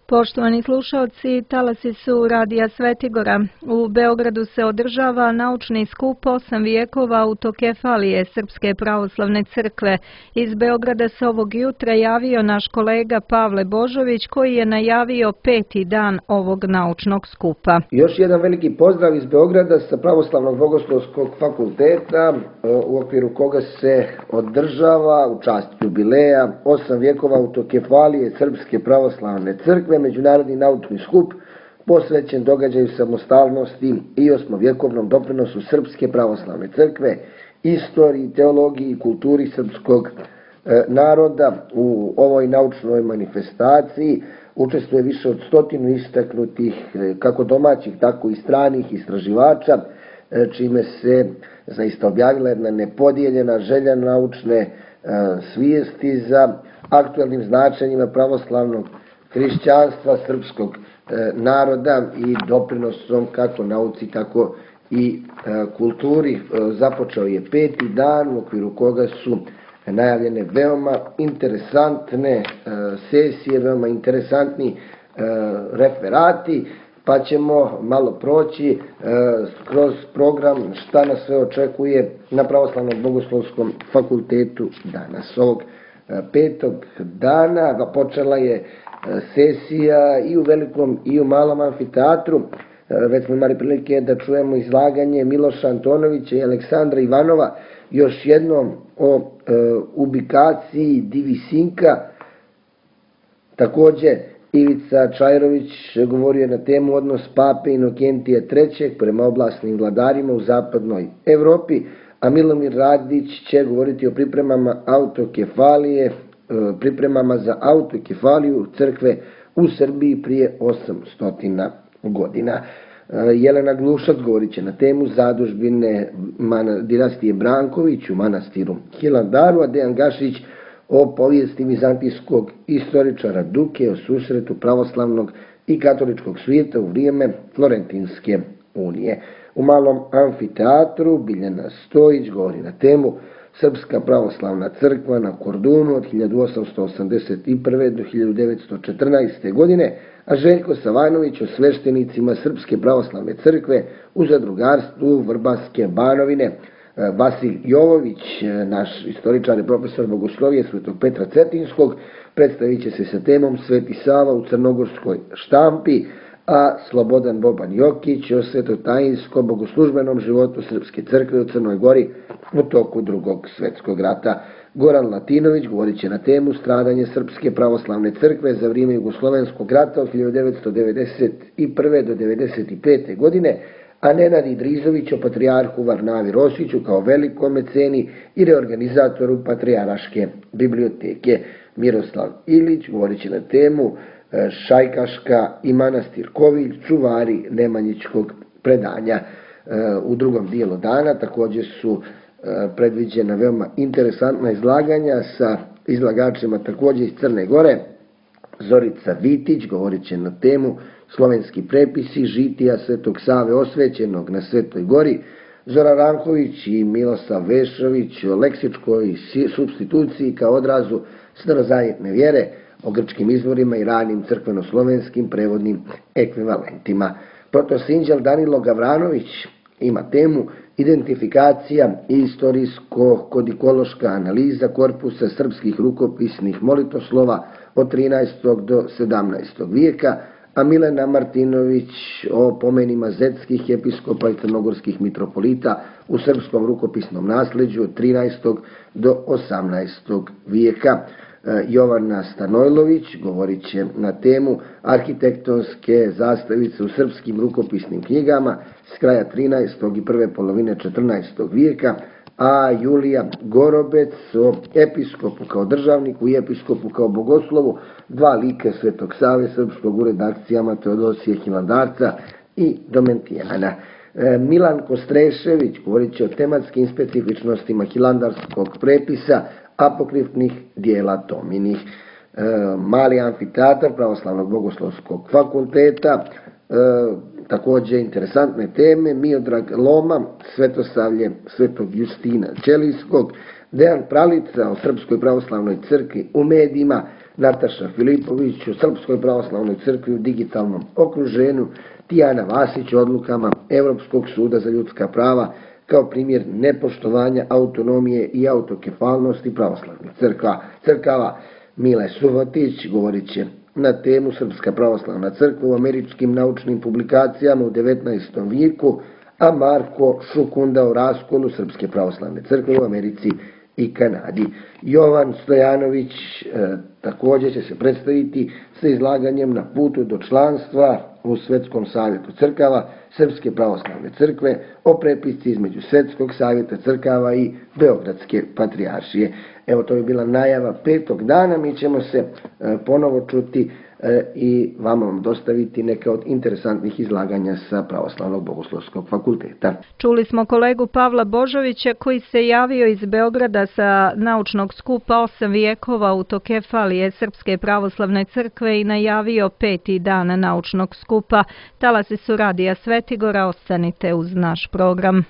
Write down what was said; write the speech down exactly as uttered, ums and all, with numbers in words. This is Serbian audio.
Poštovani slušalci, talasi su Radija Svetigora. U Beogradu se održava naučni skup osam vijekova autokefalije Srpske pravoslavne crkve. Iz Beograda se ovog jutra javio naš kolega Pavle Božović, koji je najavio peti dan ovog naučnog skupa. Još jedan veliki pozdrav iz Beograda sa Pravoslavnog bogoslovskog fakulteta, u okviru koga se održava u čast jubileja osam vijekova autokefalije Srpske pravoslavne crkve, međunarodni naučni skup posvećen događaju samostalnosti i osmovjekovnom doprinosu Srpske pravoslavne crkve, istoriji, teologiji i kulturi srpskog naroda. U ovoj naučnoj manifestaciji učestvuje više od stotinu istaknutih kako domaćih, tako i stranih istraživača, čime se zaista objavila jedna nepodijeljena želja naučne svijesti za aktualnim značenjima pravoslavnog hrišćanstva, srpskog naroda i doprinosom kako nauci, tako i kulturi. Započeo je peti dan u okviru koga su najavljene veoma interesantne sesije, veoma interesantni referati, pa ćemo malo proći kroz program šta nas sve očekuje na Pravoslavnom bogoslovskom fakultetu danas. Ovog petog dana počela je sesija i u velikom i u malom amfiteatru. Već smo imali prilike da čujemo izlaganje Miloša Antonovića i Aleksandra Ivanova, još jednom o e, ubikaciji Divisinka. Također Ivica Čajrović govorio na temu odnos pape Inokentija trećeg prema oblasnim vladarima u zapadnoj Evropi, a Milomir Radić će govoriti o pripremama autokefalije, pripremama za autokefaliju crkve u Srbiji prije osamsto godina. Jelena Glušac govorit će na temu zadužbine dinastije Branković u manastiru Hilandaru, a Dejan Gašić o povijesti vizantijskog istoričara Duke, o susretu pravoslavnog i katoličkog svijeta u vrijeme Florentinske unije. U malom amfiteatru Biljana Stojić govori na temu Srpska pravoslavna crkva na Kordunu od hiljadu osamsto osamdeset prve do hiljadu devetsto četrnaeste. godine, a Željko Savanović o sveštenicima Srpske pravoslavne crkve u zadrugarstvu Vrbanske Banovine. Vasil Jovović, naš istoričar i profesor bogoslovije Svetog Petra Cetinskog, predstavit će se sa temom Sveti Sava u crnogorskoj štampi, a Slobodan Boban Jokić o svetotajinskom bogoslužbenom životu Srpske crkve u Crnoj Gori u toku drugog svjetskog rata. Goran Latinović govorit će na temu stradanje Srpske pravoslavne crkve za vrijeme Jugoslovenskog rata od hiljadu devetsto devedeset prve do devedeset pete. godine, a Nenad Idrizović o patrijarhu Varnavi Rosiću kao velikom meceni i reorganizatoru Patrijaraške biblioteke. Miroslav Ilić govorit će na temu Šajkaška i manastir Kovilj, čuvari Nemanjićkog predanja. U drugom dijelu dana također su predviđena veoma interesantna izlaganja sa izlagačima također iz Crne Gore. Zorica Vitić govorit će na temu slovenski prepisi žitija Svetog Save osvećenog na Svetoj Gori. Zoran Ranković i Milosav Vešović o leksičkoj supstituciji kao odrazu starozajetne vjere, o grčkim izvorima i ranim crkveno-slovenskim prevodnim ekvivalentima. Protosinđel Danilo Gavranović ima temu identifikacija i istorijsko-kodikološka analiza korpusa srpskih rukopisnih molitoslova od trinaestog do sedamnaestog. vijeka, a Milena Martinović o pomenima zetskih episkopa i crnogorskih mitropolita u srpskom rukopisnom nasljeđu od trinaestog do osamnaestog. vijeka. Jovana Stanojlović govorit će na temu arhitektonske zastavice u srpskim rukopisnim knjigama s kraja trinaestog i prve polovine četrnaestog. vijeka, a Julija Gorobec o episkopu kao državniku i episkopu kao bogoslovu, dva lika Svetog Save srpskog u redakcijama Teodosije Hilandarca i Domentijana. Milan Kostrešević govorit će o tematskim specifičnostima hilandarskog prepisa, apokrifnih dijela Tominih. E, mali amfiteatar Pravoslavnog bogoslovskog fakulteta, e, također interesantne teme, Miodrag Loma, Svetosavlje Svetog Justina Ćelijskog, Dejan Pralica o Srpskoj pravoslavnoj crkvi u medijima, Nataša Filipović o Srpskoj pravoslavnoj crkvi u digitalnom okruženju, Tijana Vasić o odlukama Evropskog suda za ljudska prava kao primjer nepoštovanja autonomije i autokefalnosti pravoslavnih crkva. crkava. Mile Subotić govorit će na temu Srpska pravoslavna crkva u američkim naučnim publikacijama u devetnaestom vijeku, a Marko Šukunda o raskolu Srpske pravoslavne crkve u Americi i Kanadi. Jovan Stojanović e, također će se predstaviti sa izlaganjem na putu do članstva u Svetskom savjetu crkava Srpske pravoslavne crkve o prepisci između Svetskog savjeta crkava i Beogradske patrijaršije. Evo, to je bila najava petog dana, mi ćemo se e, ponovo čuti e, i vama vam dostaviti neke od interesantnih izlaganja sa Pravoslavnog bogoslovskog fakulteta. Čuli smo kolegu Pavla Božovića koji se javio iz Beograda sa naučnog skupa osam vijekova autokefalije Srpske pravoslavne crkve i najavio peti dan naučnog skupa. Talasi su Radija Svetigora, ostanite uz naš program.